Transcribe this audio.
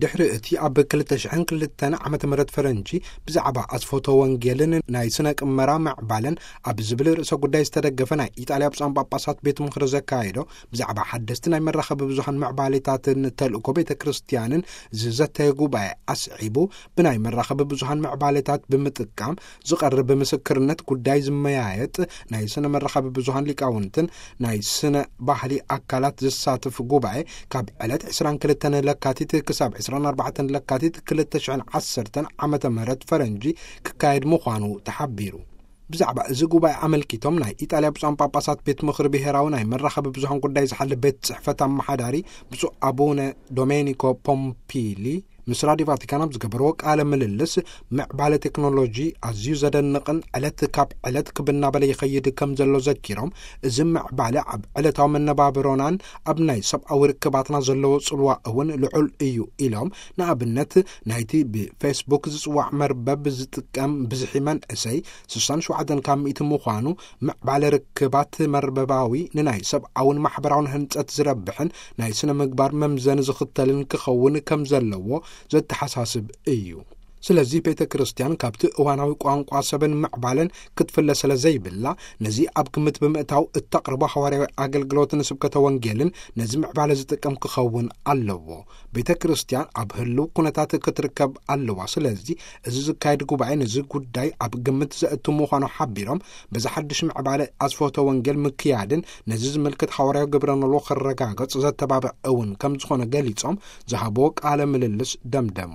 ድሕሪ እቲ ኣብ ክልተ ሽሕን ክልተን ዓመተ ምህረት ፈረንጂ ብዛዕባ ኣስፎቶ ወንጌልን ናይ ስነ ቅመራ ምዕባለን ኣብ ዝብል ርእሰ ጉዳይ ዝተደገፈ ናይ ኢጣልያ ብፁዓን ጳጳሳት ቤት ምኽሪ ዘካየዶ ብዛዕባ ሓደስቲ ናይ መራኸቢ ብዙሃን ምዕባሌታትን ተልእኮ ቤተ ክርስቲያንን ዝዘተየ ጉባኤ ኣስዒቡ፣ ብናይ መራኸቢ ብዙሃን ምዕባሌታት ብምጥቃም ዝቐርብ ምስክርነት ጉዳይ ዝመያየጥ ናይ ስነ መራኸቢ ብዙሃን ሊቃውንትን ናይ ስነ ባህሊ ኣካላት ዘሳትፍ ጉባኤ ካብ ዕለት ዕስራን ክልተን ለካቲት ክሳብ ዕስራን ኣርባዕተን ለካቲት ክልተ ሽሕን ዓሰርተን ዓመተ ምህረት ፈረንጂ ክካየድ ምዃኑ ተሓቢሩ። ብዛዕባ እዚ ጉባኤ ኣመልኪቶም ናይ ኢጣልያ ብፁዓን ጳጳሳት ቤት ምኽሪ ብሔራዊ ናይ መራኸቢ ብዙሃን ጉዳይ ዝሓለ ቤት ጽሕፈት ኣመሓዳሪ ብፁዕ ኣቡነ ዶሜኒኮ ፖምፒሊ ምስ ራዲዮ ቫቲካን ኣብ ዝገበርዎ ቃለ ምልልስ፣ ምዕባለ ቴክኖሎጂ ኣዝዩ ዘደንቕን ዕለት ካብ ዕለት ክብ እናበለ ይኸይድ ከም ዘሎ ዘኪሮም፣ እዚ ምዕባለ ኣብ ዕለታዊ መነባብሮናን ኣብ ናይ ሰብኣዊ ርክባትና ዘለዎ ጽልዋ እውን ልዑል እዩ ኢሎም፣ ንኣብነት ናይቲ ብፌስቡክ ዝጽዋዕ መርበብ ዝጥቀም ብዝሒ መንእሰይ ስሳን ሸውዓተን ካብ ሚእቲ ምዃኑ፣ ምዕባለ ርክባት መርበባዊ ንናይ ሰብኣውን ማሕበራውን ህንጸት ዝረብሕን ናይ ስነ ምግባር መምዘኒ ዝኽተልን ክኸውን ከም ዘለዎ ዘተሓሳስብ እዩ። ስለዚህ ቤተ ክርስቲያን ካብቲ እዋናዊ ቋንቋ ሰብን ምዕባለን ክትፍለ ስለ ዘይብላ፣ ነዚ ኣብ ግምት ብምእታው እተቕርቦ ሓዋርያዊ ኣገልግሎትን ስብከተ ወንጌልን ነዚ ምዕባለ ዝጥቀም ክኸውን ኣለዎ። ቤተ ክርስቲያን ኣብ ህልው ኩነታት ክትርከብ ኣለዋ። ስለዚህ እዚ ዝካየድ ጉባኤ ነዚ ጉዳይ ኣብ ግምት ዘእቱ ምዃኑ ሓቢሮም፣ በዚ ሓድሽ ምዕባለ ኣስፎተ ወንጌል ምክያድን ነዚ ዝምልከት ሓዋርያዊ ግብረ ኖልዎ ክረጋገጽ ዘተባብዕ እውን ከም ዝኾነ ገሊጾም ዝሃብዎ ቃለ ምልልስ ደምደሙ።